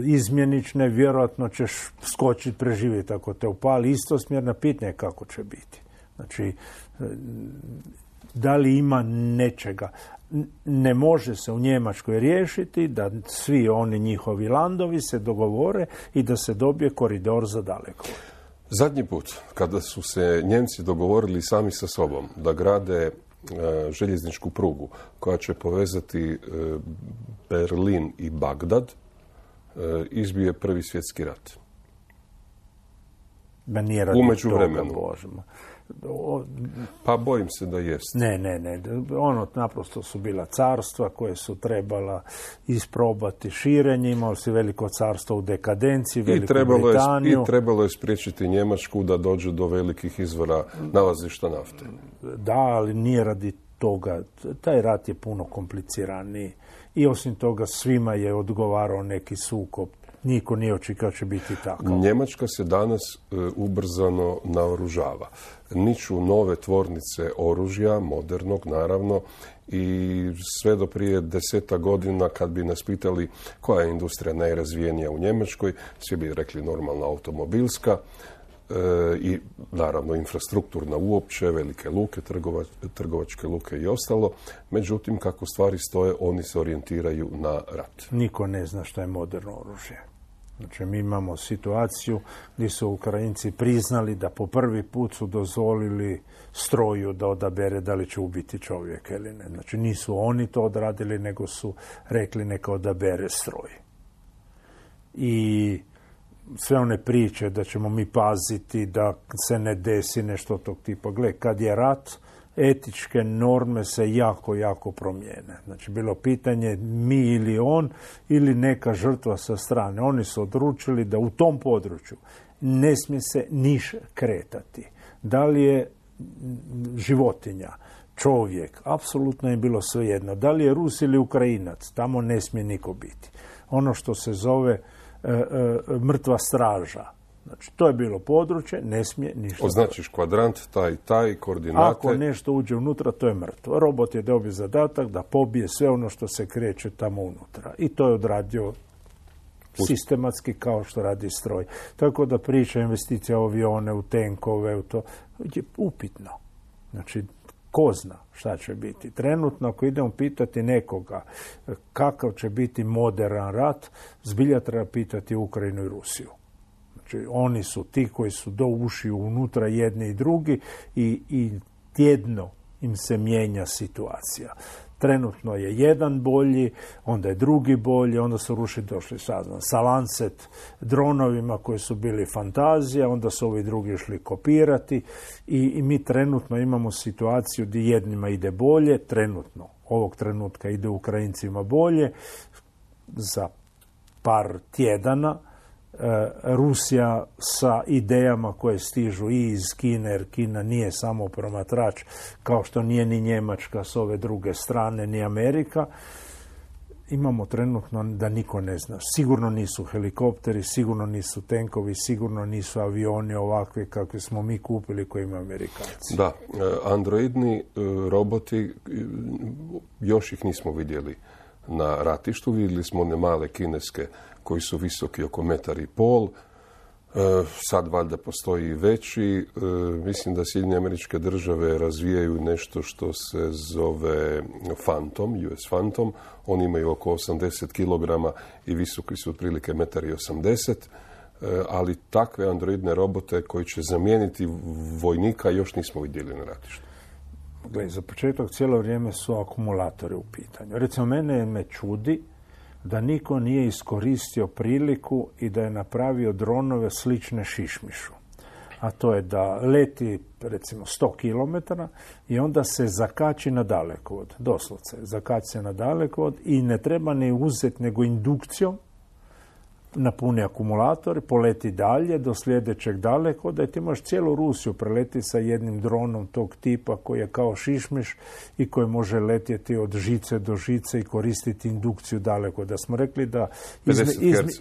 izmjenične, vjerojatno ćeš skočiti, preživjeti. Ako te opali istosmjerna, pitanje kako će biti. Znači, da li ima nečega? Ne može se u Njemačkoj riješiti da svi oni njihovi landovi se dogovore i da se dobije koridor za daleko. Zadnji put, kada su se Njemci dogovorili sami sa sobom da grade željezničku prugu koja će povezati Berlin i Bagdad, izbio je Prvi svjetski rat. Da nije radi u međuvremenu. Božemo. Pa bojim se da jest. Ne. Ono naprosto su bila carstva koje su trebala isprobati širenje. Imali si veliko carstvo u dekadenciji, Veliku Britaniju. I trebalo je spriječiti Njemačku da dođe do velikih izvora nalazišta nafte. Da, ali nije radi toga. Taj rat je puno kompliciraniji. I osim toga svima je odgovarao neki sukob. Niko nije očekivao će biti tako. Njemačka se danas ubrzano naoružava. Niču nove tvornice oružja, modernog naravno, i sve do prije 10 godina kad bi nas pitali koja je industrija najrazvijenija u Njemačkoj, svi bi rekli normalna automobilska i naravno infrastrukturna uopće, velike luke, trgovačke luke i ostalo. Međutim, kako stvari stoje, oni se orijentiraju na rat. Niko ne zna što je moderno oružje. Znači, mi imamo situaciju gdje su Ukrajinci priznali da po prvi put su dozvolili stroju da odabere da li će ubiti čovjeka ili ne. Znači, nisu oni to odradili, nego su rekli neka odabere stroj. I sve one priče da ćemo mi paziti da se ne desi nešto tog tipa. Gle, kad je rat, etičke norme se jako promijene. Znači, bilo pitanje mi ili on ili neka žrtva sa strane. Oni su odlučili da u tom području ne smije se niš kretati. Da li je životinja, čovjek, apsolutno je bilo svejedno. Da li je Rus ili Ukrajinac, tamo ne smije niko biti. Ono što se zove mrtva straža. Znači, to je bilo područje, ne smije ništa. Označiš kvadrant, taj, koordinate. Ako nešto uđe unutra, to je mrtvo. Robot je dobio zadatak da pobije sve ono što se kreće tamo unutra. I to je odradio sistematski kao što radi stroj. Tako da priča investicija u avione, u tenkove, u to je upitno. Znači, ko zna šta će biti. Trenutno, ako idemo pitati nekoga kakav će biti modern rat, zbilja treba pitati Ukrajinu i Rusiju. Znači, oni su ti koji su do ušiju unutra jedni i drugi i tjedno im se mijenja situacija. Trenutno je jedan bolji, onda je drugi bolji, onda su Rusi došli sa Lancet dronovima koji su bili fantazija, onda su ovi drugi išli kopirati i mi trenutno imamo situaciju gdje jednima ide bolje, trenutno, ovog trenutka ide Ukrajincima bolje, za par tjedana Rusija sa idejama koje stižu i iz Kine, jer Kina nije samo promatrač, kao što nije ni Njemačka s ove druge strane, ni Amerika. Imamo trenutno da niko ne zna. Sigurno nisu helikopteri, sigurno nisu tenkovi, sigurno nisu avioni ovakvi kakvi smo mi kupili koji imaju Amerikanci. Da, androidni roboti, još ih nismo vidjeli na ratištu. Vidjeli smo one male kineske koji su visoki oko 1,5 m. Sad valjda postoji i veći. Mislim da Sjedinjene Američke Države razvijaju nešto što se zove Phantom, US Phantom. Oni imaju oko 80 kg i visoki su otprilike 1,80 m. Ali takve androidne robote koji će zamijeniti vojnika još nismo vidjeli na ratištu. Gle, za početak cijelo vrijeme su akumulatori u pitanju. Recimo, mene me čudi da niko nije iskoristio priliku i da je napravio dronove slične šišmišu. a to je da leti recimo 100 km i onda se zakači na dalekovod, doslovce, zakači se na dalekovod i ne treba ne uzeti nego indukcijom, napuni akumulator, poleti dalje do sljedećeg dalekovoda i ti možeš cijelu Rusiju preleti sa jednim dronom tog tipa koji je kao šišmiš i koji može letjeti od žice do žice i koristiti indukciju dalekovoda. Da smo rekli da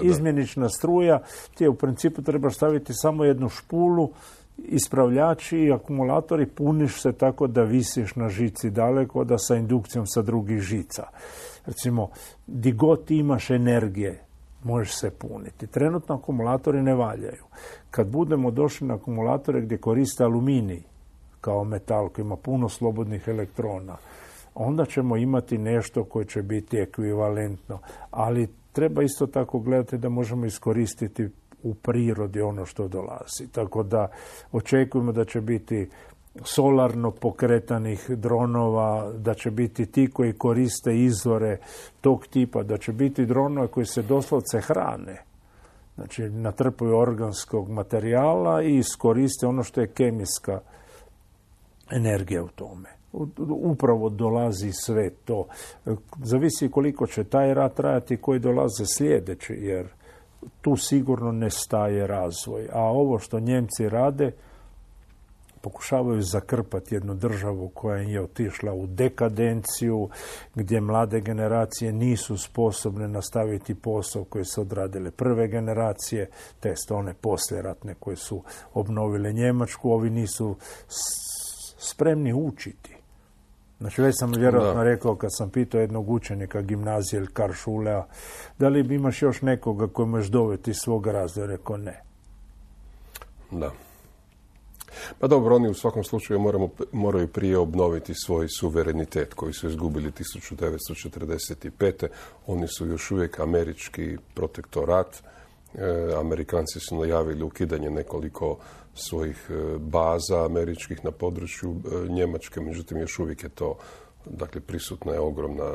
izmjenična struja, ti u principu trebaš staviti samo jednu špulu, ispravljači i akumulatori, puniš se tako da visiš na žici dalekovoda sa indukcijom sa drugih žica. Recimo, di god imaš energije, možeš se puniti. Trenutno akumulatori ne valjaju. Kad budemo došli na akumulatore gdje koriste aluminij kao metal koji ima puno slobodnih elektrona, onda ćemo imati nešto koje će biti ekvivalentno. Ali treba isto tako gledati da možemo iskoristiti u prirodi ono što dolazi. Tako da očekujemo da će biti solarno pokretanih dronova, da će biti ti koji koriste izvore tog tipa, da će biti dronova koji se doslovce hrane. Znači, natrpaju organskog materijala i iskoriste ono što je kemijska energija u tome. Upravo dolazi sve to. Zavisi koliko će taj rat trajati, koji dolaze sljedeći, jer tu sigurno ne staje razvoj. A ovo što Njemci rade, pokušavaju zakrpati jednu državu koja je otišla u dekadenciju, gdje mlade generacije nisu sposobne nastaviti posao koji su odradile prve generacije, test one poslijeratne koje su obnovile Njemačku, ovi nisu spremni učiti. Znači, već sam vjerojatno rekao kad sam pitao jednog učenika gimnazije ili Karlsschulea, da li imaš još nekoga koji možeš dovesti iz svog razvoja? Rekao ne. Da. Pa dobro, oni u svakom slučaju moraju prije obnoviti svoj suverenitet koji su izgubili 1945. Oni su još uvijek američki protektorat. Amerikanci su najavili ukidanje nekoliko svojih baza američkih na području Njemačke, međutim još uvijek je to, dakle, prisutna je ogromna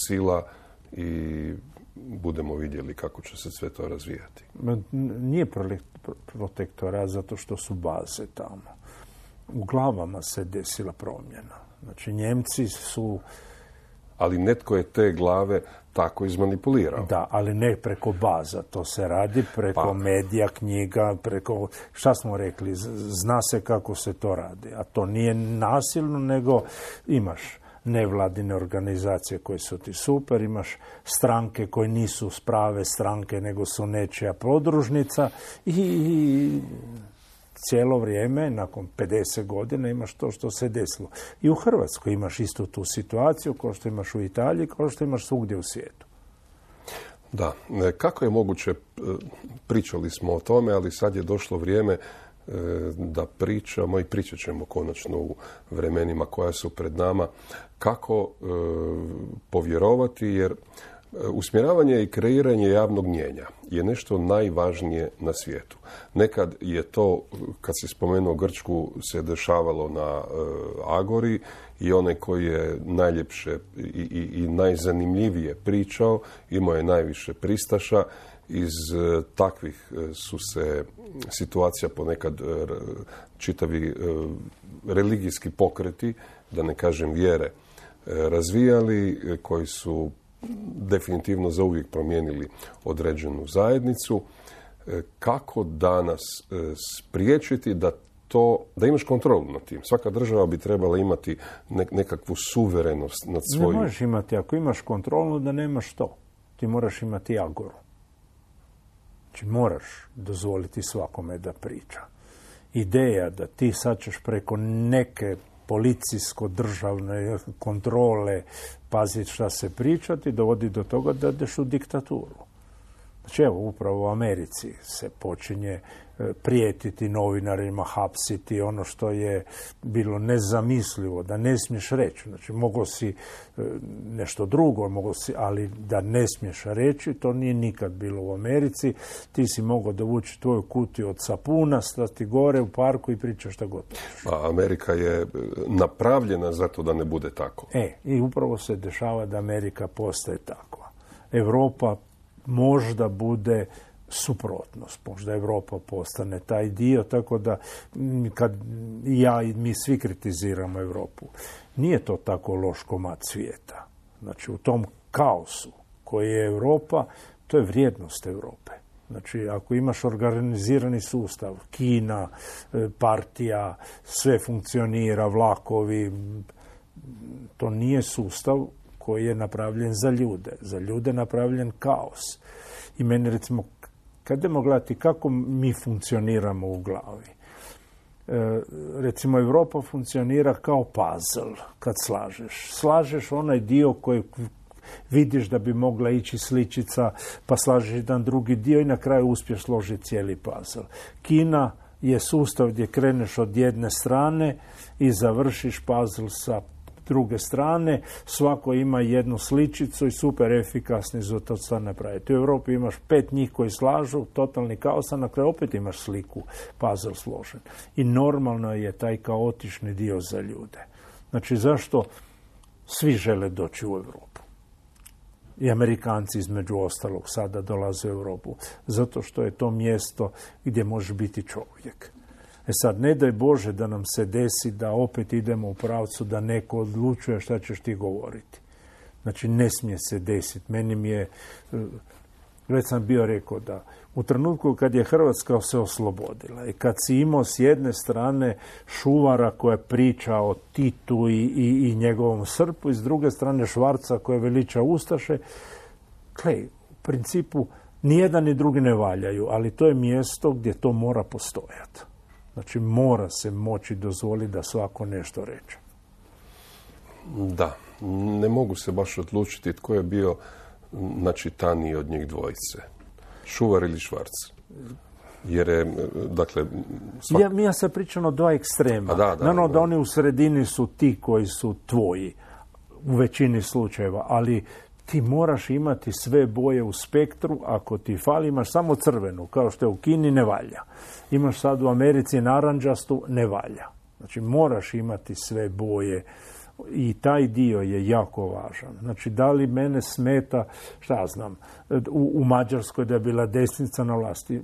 sila i budemo vidjeli kako će se sve to razvijati. Nije protektorat zato što su baze tamo. U glavama se desila promjena. Znači, Njemci su... Ali netko je te glave tako izmanipulirao. Da, ali ne preko baza. To se radi preko medija, knjiga, preko... Šta smo rekli? Zna se kako se to radi. A to nije nasilno, nego imaš nevladine organizacije koje su ti super, imaš stranke koje nisu prave stranke, nego su nečija podružnica i cijelo vrijeme, nakon 50 godina, imaš to što se desilo. I u Hrvatskoj imaš istu tu situaciju, kao što imaš u Italiji, kao što imaš svugdje u svijetu. Da. Kako je moguće, pričali smo o tome, ali sad je došlo vrijeme da pričamo i pričat ćemo konačno u vremenima koja su pred nama, kako povjerovati, jer usmjeravanje i kreiranje javnog mnijenja je nešto najvažnije na svijetu. Nekad je to, kad se spomenuo Grčku, se dešavalo na Agori i onaj koji je najljepše i najzanimljivije pričao, imao je najviše pristaša. Iz takvih su se situacija ponekad čitavi religijski pokreti, da ne kažem vjere, razvijali, koji su definitivno zauvijek promijenili određenu zajednicu. Kako danas spriječiti da imaš kontrolu nad tim? Svaka država bi trebala imati nekakvu suverenost nad svojim... Ne možeš imati, ako imaš kontrolu, da nemaš to. Ti moraš imati agoru. Znači, moraš dozvoliti svakome da priča. Ideja da ti sad ćeš preko neke policijsko-državne kontrole paziti šta se pričati, dovodi do toga da ideš u diktaturu. Znači, evo, upravo u Americi se počinje prijetiti novinarima, hapsiti, ono što je bilo nezamislivo, da ne smiješ reći. Znači, mogao si nešto drugo, ali da ne smiješ reći, to nije nikad bilo u Americi. Ti si mogao dovući tvoju kutiju od sapuna, stati gore u parku i pričaš šta god. A Amerika je napravljena zato da ne bude tako. I upravo se dešava da Amerika postaje takva. Europa možda bude suprotnost. Možda Europa postane taj dio, tako da kad ja i mi svi kritiziramo Europu, nije to tako loš komad svijeta. Znači, u tom kaosu koji je Europa, to je vrijednost Europe. Znači, ako imaš organizirani sustav, Kina, partija, sve funkcionira, vlakovi, to nije sustav koji je napravljen za ljude. Za ljude je napravljen kaos. I meni, recimo, kad idemo gledati kako mi funkcioniramo u glavi, recimo, Europa funkcionira kao puzzle kad slažeš. Slažeš onaj dio koji vidiš da bi mogla ići sličica, pa slažeš jedan drugi dio i na kraju uspješ složiti cijeli puzzle. Kina je sustav gdje kreneš od jedne strane i završiš puzzle sa druge strane, svako ima jednu sličicu i super efikasni za to sve napraviti. U Europi imaš 5 njih koji slažu, totalni kaos, a na kraju opet imaš sliku, puzzle složen. I normalno je taj kaotični dio za ljude. Znači, zašto svi žele doći u Europu? I Amerikanci, između ostalog, sada dolaze u Europu. Zato što je to mjesto gdje može biti čovjek. Sad, ne daj Bože da nam se desi da opet idemo u pravcu da neko odlučuje šta ćeš ti govoriti. Znači, ne smije se desiti. Meni mi je, već sam bio rekao da u trenutku kad je Hrvatska se oslobodila i kad si imao s jedne strane Šuvara koja priča o Titu i njegovom srpu i s druge strane Švarca koja veliča ustaše, u principu nijedan ni drugi ne valjaju, ali to je mjesto gdje to mora postojati. Znači, mora se moći dozvoliti da svako nešto reče. Da, ne mogu se baš odlučiti tko je bio načitaniji od njih dvojice. Šuvar ili Švarc? Jer je, dakle... Ja sam pričam o dva ekstrema. Da oni u sredini su ti koji su tvoji u većini slučajeva, ali ti moraš imati sve boje u spektru. Ako ti fali, imaš samo crvenu, kao što je u Kini, ne valja. Imaš sad u Americi naranđastu, ne valja. Znači, moraš imati sve boje i taj dio je jako važan. Znači, da li mene smeta, šta znam, u Mađarskoj da je bila desnica na vlasti.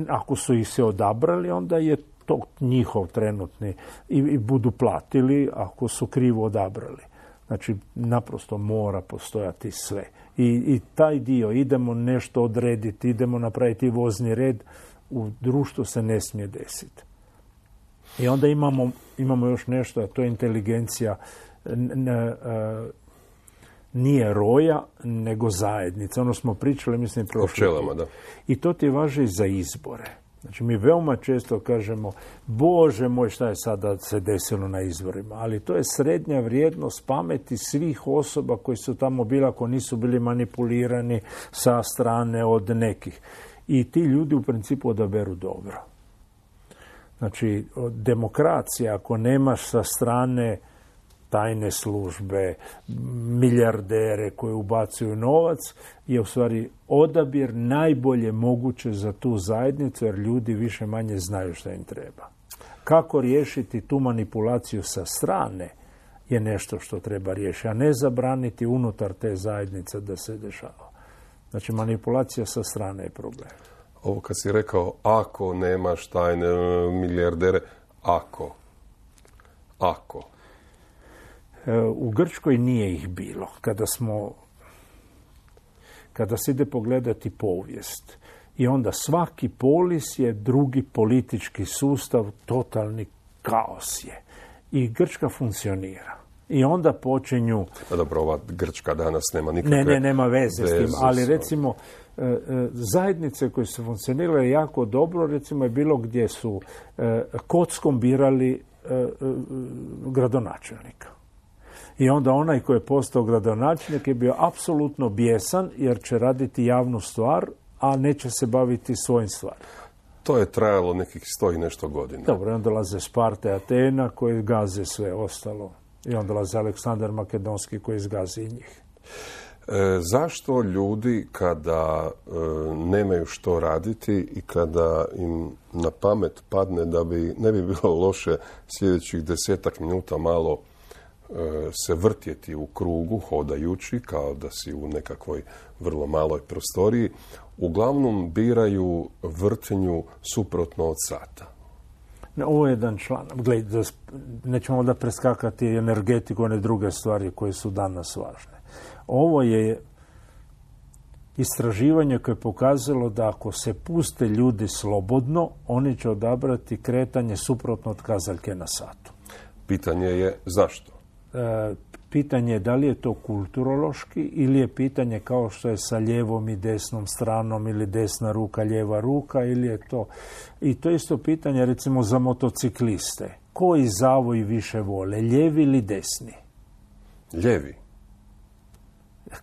Ako su ih se odabrali, onda je to njihov trenutni i budu platili ako su krivo odabrali. Znači, naprosto mora postojati sve. I taj dio, idemo nešto odrediti, idemo napraviti vozni red, u društvu se ne smije desiti. I onda imamo još nešto, a to je inteligencija nije roja, nego zajednica. Ono smo pričali, mislim, prošli. O pčelama, da. I to ti važi za izbore. Znači, mi veoma često kažemo, Bože moj, šta je sada se desilo na izborima, ali to je srednja vrijednost pameti svih osoba koji su tamo bili, ako nisu bili manipulirani sa strane od nekih. I ti ljudi u principu odaberu dobro. Znači, demokracija, ako nemaš sa strane tajne službe, milijardere koji ubacuju novac, je u stvari odabir najbolje moguće za tu zajednicu, jer ljudi više manje znaju šta im treba. Kako riješiti tu manipulaciju sa strane je nešto što treba riješiti, a ne zabraniti unutar te zajednice da se dešava. Znači, manipulacija sa strane je problem. Ovo kad si rekao, ako nemaš tajne milijardere, ako. U Grčkoj nije ih bilo. Kada se ide pogledati povijest i onda svaki polis je drugi politički sustav, totalni kaos je. I Grčka funkcionira. I onda počinju... Dobro, ova Grčka danas nema nikakve... nema veze s tim, ali recimo zajednice koje su funkcionirale jako dobro, recimo je bilo gdje su kockom birali gradonačelnika. I onda onaj koji je postao gradonačelnik je bio apsolutno bijesan jer će raditi javnu stvar, a neće se baviti svojim stvarima. To je trajalo nekih 100 i nešto godina. Dobro, i onda dolaze Sparta i Atena koji gaze sve ostalo. I onda dolaze Aleksandar Makedonski koji izgazi i njih. Zašto ljudi kada nemaju što raditi i kada im na pamet padne da ne bi bilo loše sljedećih 10 minuta malo se vrtjeti u krugu, hodajući, kao da si u nekakvoj vrlo maloj prostoriji, uglavnom biraju vrtenju suprotno od sata. Ovo je jedan članak. Gledaj, nećemo da preskakati energetiku, one druge stvari koje su danas važne. Ovo je istraživanje koje je pokazalo da ako se puste ljudi slobodno, oni će odabrati kretanje suprotno od kazaljke na satu. Pitanje je zašto? Pitanje je da li je to kulturološki ili je pitanje kao što je sa lijevom i desnom stranom ili desna ruka, lijeva ruka ili je to... I to je isto pitanje recimo za motocikliste. Koji zavoj više vole, lijevi ili desni? Lijevi.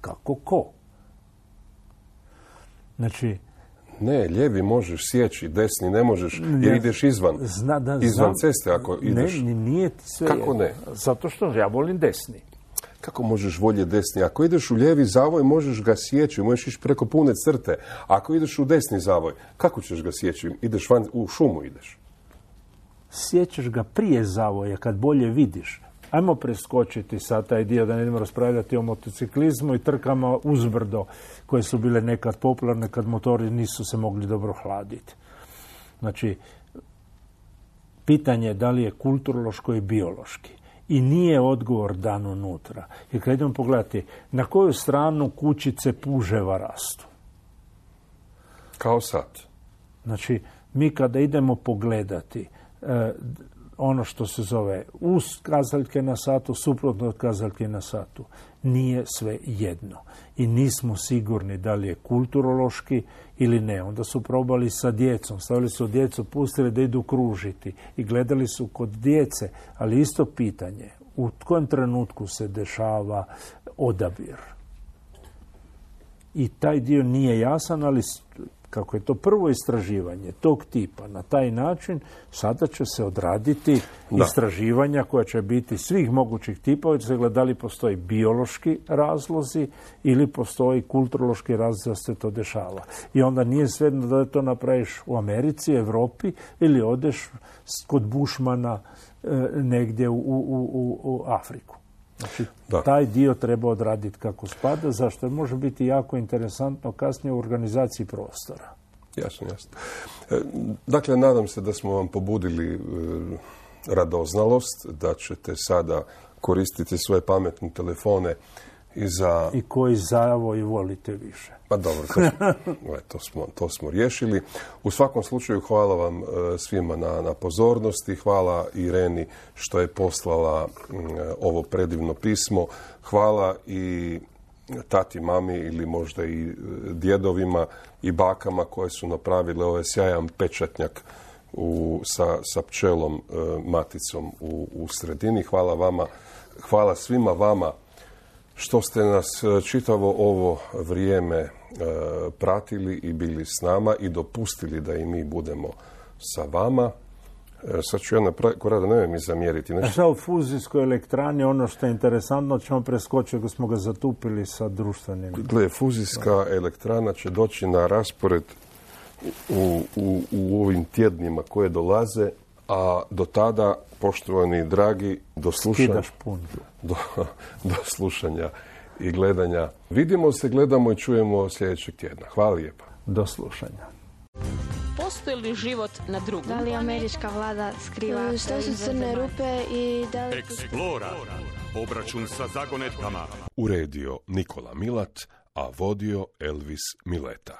Kako ko? Znači... Ne, lijevi možeš sjeći, desni ne možeš jer ideš izvan ceste ako ideš. Ne, nije ti sve. Kako ne? Zato što ja volim desni. Kako možeš voljeti desni? Ako ideš u lijevi zavoj, možeš ga sjeći, možeš ići preko pune crte. Ako ideš u desni zavoj, kako ćeš ga sjeći? Ideš van, u šumu ideš. Sjećaš ga prije zavoja, kad bolje vidiš. Ajmo preskočiti sad taj dio da ne idemo raspravljati o motociklizmu i trkama uzbrdo koje su bile nekad popularne kad motori nisu se mogli dobro hladiti. Znači, pitanje je da li je kulturološko i biološki. I nije odgovor dan unutra. Jer kad idemo pogledati na koju stranu kućice puževa rastu. Kao sad. Znači, mi kada idemo pogledati ono što se zove uz kazaljke na satu, suprotno od kazaljke na satu, nije sve jedno. I nismo sigurni da li je kulturološki ili ne. Onda su probali sa djecom, stavili su djecu, pustili da idu kružiti i gledali su kod djece, ali isto pitanje, u kojem trenutku se dešava odabir. I taj dio nije jasan, ali kako je to prvo istraživanje tog tipa na taj način, sada će se odraditi istraživanja koja će biti svih mogućih tipova, će se gledati da li postoji biološki razlozi ili postoji kulturološki razlog da se to dešava. I onda nije svejedno da to napraviš u Americi, Europi ili odeš kod Bušmana negdje u Afriku. Znači, taj dio treba odraditi kako spada, zašto može biti jako interesantno kasnije u organizaciji prostora. Jasno. Dakle, nadam se da smo vam pobudili radoznalost, da ćete sada koristiti svoje pametne telefone i koji zavoj volite više. Pa dobro, to smo riješili. U svakom slučaju hvala vam svima na pozornosti. Hvala Ireni što je poslala ovo predivno pismo. Hvala i tati, mami ili možda i djedovima i bakama koje su napravile ovaj sjajan pečatnjak sa pčelom maticom u sredini. Hvala vama, hvala svima vama što ste nas čitavo ovo vrijeme pratili i bili s nama i dopustili da i mi budemo sa vama. Sad ću ja napraviti, Korada, nemoj mi zamjeriti. Šta u fuzijskoj elektrani, ono što je interesantno, ćemo preskočiti ako smo ga zatupili sa društvenim. Gle, fuzijska elektrana će doći na raspored u ovim tjednima koje dolaze, a do tada, poštovani dragi, do slušanja i gledanja. Vidimo se, gledamo i čujemo sljedećeg tjedna. Hvala lijepa. Do slušanja. Postoji li život na drugom? Da li američka vlada skriva što su crne rupe i da li... Explora. Obračun sa zagonetkama. Uredio Nikola Milat, a vodio Elvis Mileta.